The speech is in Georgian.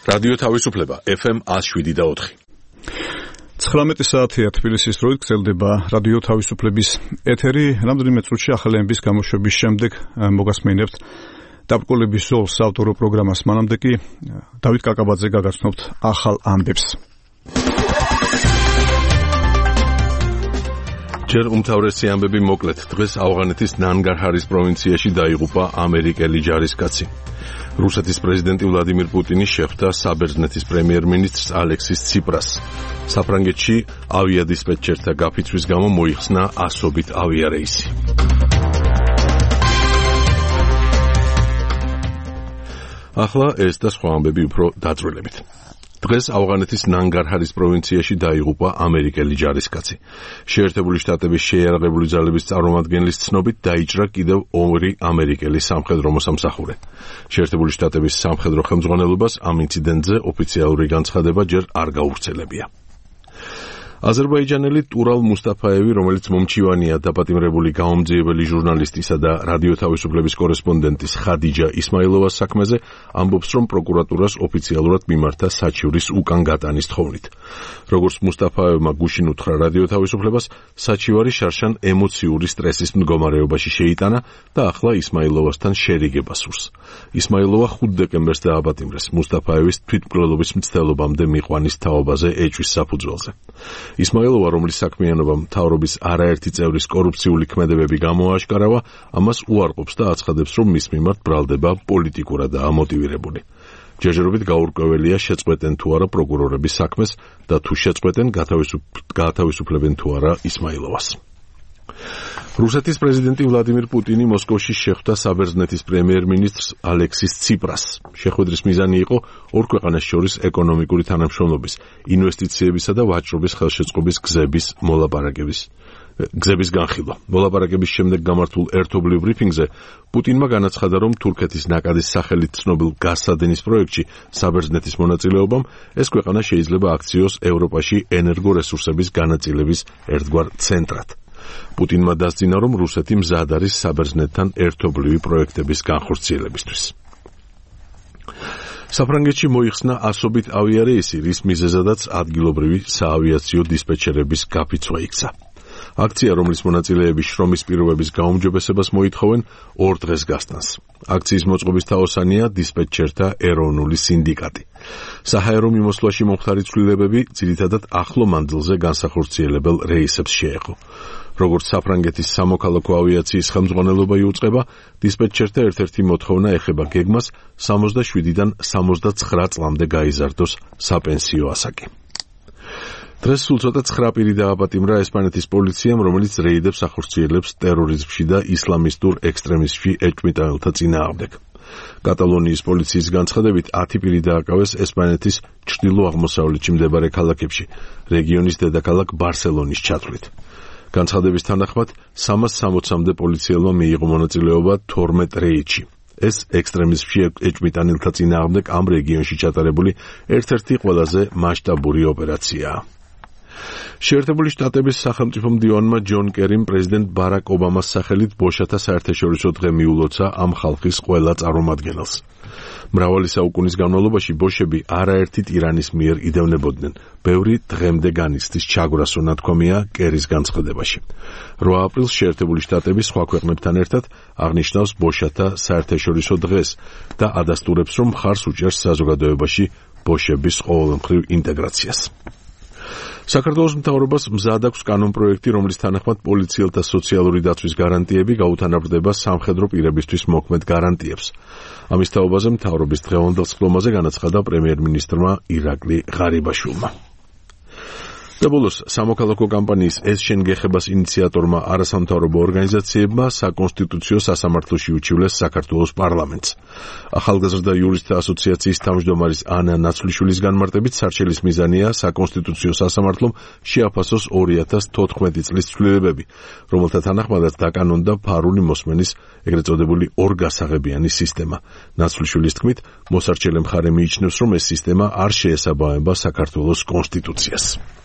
რადიო თავისუფლება FM 107.4. 19 საათია თბილისის დროით გრძელდება რადიო თავისუფლების ეთერი. რამდენიმე წუთში ახალი ამბის გამოშვების შემდეგ მოგასმენებთ დაბრკოლების ზოლს ავტორო პროგრამას. მანამდე კი დავით კაკაბაძე გაგაცნობთ ახალ ამბებს. ჯერ უმთავრესი ამბები მოკლედ. დღეს ავღანეთის ნანგარჰარის პროვინციაში დაიღუპა ამერიკელი ჯარისკაცი. რუსეთის პრეზიდენტი ვლადიმირ პუტინი შეხვდა საბერძნეთის პრემიერ-მინისტრს ალექსის ციპრას. საფრანგეთში ავიადისპეტჩერთა გაფიცვის გამო მოიხსნა ასობით ავიარეისი. ახლა ეს და სხვა ამბები უფრო დაწვრილებით. დღეს ავღანეთის ნანგარჰარის პროვინციაში დაიღუპა ამერიკელი ჯარისკაცი. შეერთებული შტატების შეიარაღებული ძალების წარმომადგენლის ცნობით დაიჭრა კიდევ 2 ამერიკელი სამხედრო მოსამსახურე. შეერთებული შტატების სამხედრო ხელმძღვანელობას ამ ინციდენტზე ოფიციალური განცხადება ჯერ არ გაუვრცელებია. აზერბაიჯანელი ტურალ მუსტაფაევი, რომელიც მომჩივანია დაპატიმრებული გაომძიებელი ჟურნალისტისა და რადიო თავისუფლების კორესპონდენტის ხადიჯა ისმაილოვას საქმეზე, ამბობს, რომ პროკურატურას ოფიციალურად მიმართა საჩივრის უკან გატანის თხოვნით. როგორც მუსტაფაევმა გუშინ უთხრა რადიო თავისუფლებას, საჩივარი შარშან ემოციური სტრესის მდგომარეობაში შეიტანა და ახლა ისმაილოვასთან შერიგება სურს. ისმაილოვა 5 დეკემბერს დააპატიმრეს მუსტაფაევის თვითმკვლელობის მცდელობამდე მიყვანის თაობაზე ეჭვის საფუძველზე. ისმაილოვა, რომლის საქმიანობა მთავრობის არაერთი წევრის კორუფციული ქმედებები გამოააშკარავა, ამას უარყოფს და აცხადებს, რომ მის მიმართ ბრალდება პოლიტიკურადაა მოტივირებული. ჯერჯერობით გაურკვეველია, შეწყვეტენ თუ არა პროკურორების საქმეს და თუ შეწყვეტენ, გაათავისუფლებენ თუ არა ისმაილოვას. რუსეთის პრეზიდენტი ვლადიმირ პუტინი მოსკოვში შეხვდა საბერძნეთის პრემიერ-მინისტრს ალექსის ციპრას. შეხვედრის მიზანი იყო ორ ქვეყანას შორის ეკონომიკური თანამშრომლობის, ინვესტიციებისა და ვაჭრობის ხელშეწყობის გზების განხილვა. მოლაპარაკების შემდეგ გამართულ ერთობლივ ბრიფინგზე პუტინმა განაცხადა, რომ თურქეთის ნაკადის სახელით ცნობილ გაზსადენის პროექტში საბერძნეთის მონაწილეობამ ეს ქვეყანა შეიძლება აქციოს ევროპაში ენერგორესურსების განაწილების ერთგვარ ცენტრად. პუტინმა დასძინა, რომ რუსეთი მზად არის საბერძნეთთან ერთობლივი პროექტების განხორციელებისთვის. საფრანგეთში მოიხსნა ასობით ავიარეისი, რის მიზეზადაც ადგილობრივი საავიაციო დისპეჩერების გაფიცვა იქცა. აქცია, რომლის მონაწილეები შრომის პირობების გაუმჯობესებას მოითხოვენ, 2 დღეს გასტანს. აქციის მოწყობის თაოსანია დისპეჩერთა ეროვნული სინდიკატი. საჰაერო მიმოსვლაში მომხდარი ცვლილებები ძირითადად ახლო მანძილზე განსახორციელებელ რეისებს შეეხო. როგორც საფრანგეთის სამოქალაქო ავიაციის ხელმძღვანელობა იუწყება, დისპეჩერთა ერთ-ერთი მოთხოვნა ეხება გეგმას 67-დან 79 წლამდე გაიზარდოს საპენსიო ასაკი. დღეს სულ ცოტა 9 პირი დააპატიმრა ესპანეთის პოლიციამ, რომელიც რეიდებს ახორციელებს ტერორიზმში და ისლამისტურ ექსტრემიზმში ეჭვმიტანელთა წინააღმდეგ. კატალონიის პოლიციის განცხადებით 10 პირი დააკავეს ესპანეთის ჩრდილო-აღმოსავლეთში მდებარე ქალაქებში, რეგიონის დედაქალაქ ბარსელონის ჩათვლით. განცხადების თანახმად 360-მდე პოლიციელმა მიიღო მონაწილეობა 12 რეიდში. ეს ექსტრემიზმში ეჭვმიტანელთა წინააღმდეგ ამ რეგიონში ჩატარებული ერთ-ერთი ყველაზე მასშტაბური ოპერაციაა. შეერთებული შტატების სახელმწიფო მდივანმა ჯონ კერიმ პრეზიდენტ ბარაკ ობამას სახელით ბოშათა საერთაშორისო დღე მიულოცა ამ ხალხის ყველა წარმომადგენელს. მრავალი საუკუნის განმავლობაში ბოშები არაერთი ტირანის მიერ იდევნებოდნენ. ბევრი დღემდე განიცდის ჩაგვრასო ნათქვამია კერის განცხადებაში. 8 აპრილს შეერთებული შტატები სხვა ქვეყნებთან ერთად აღნიშნავს ბოშათა საერთაშორისო დღეს და ადასტურებს, რომ მხარს უჭერს საზოგადოებაში ბოშების ყოველმხრივ ინტეგრაციას. საქართველოს მთავრობას მზად აქვს კანონპროექტი, რომლის თანახმად პოლიციელთა სოციალური დაცვის გარანტიები გაუთანაბრდება სამხედრო პირებისთვის მოქმედ გარანტიებს. ამის თაობაზე მთავრობის დღევანდელ სხდომაზე განაცხადა პრემიერ-მინისტრმა ირაკლი ღარიბაშვილმა. და ბოლოს სამოქალაქო კამპანიის ეს შენ გეხებას ინიციატორმა არასამთავრობო ორგანიზაციებმა საკონსტიტუციო სასამართლოში უჩივლეს საქართველოს პარლამენტს. ახალგაზრდა იურისტთა ასოციაციის თავმჯდომარის ანა ნაცვლიშვილის განმარტებით სარჩელის მიზანია საკონსტიტუციო სასამართლომ შეაფასოს 2014 წლის ცვლილებები, რომელთა თანახმადაც დაკანონდა ფარული მოსმენის ეგრეთ წოდებული ორგასაღებიანი სისტემა. ნაცვლიშვილის თქმით, მოსარჩელე მხარე მიიჩნევს, რომ ეს სისტემა არ შეესაბამება საქართველოს კონსტიტუციას.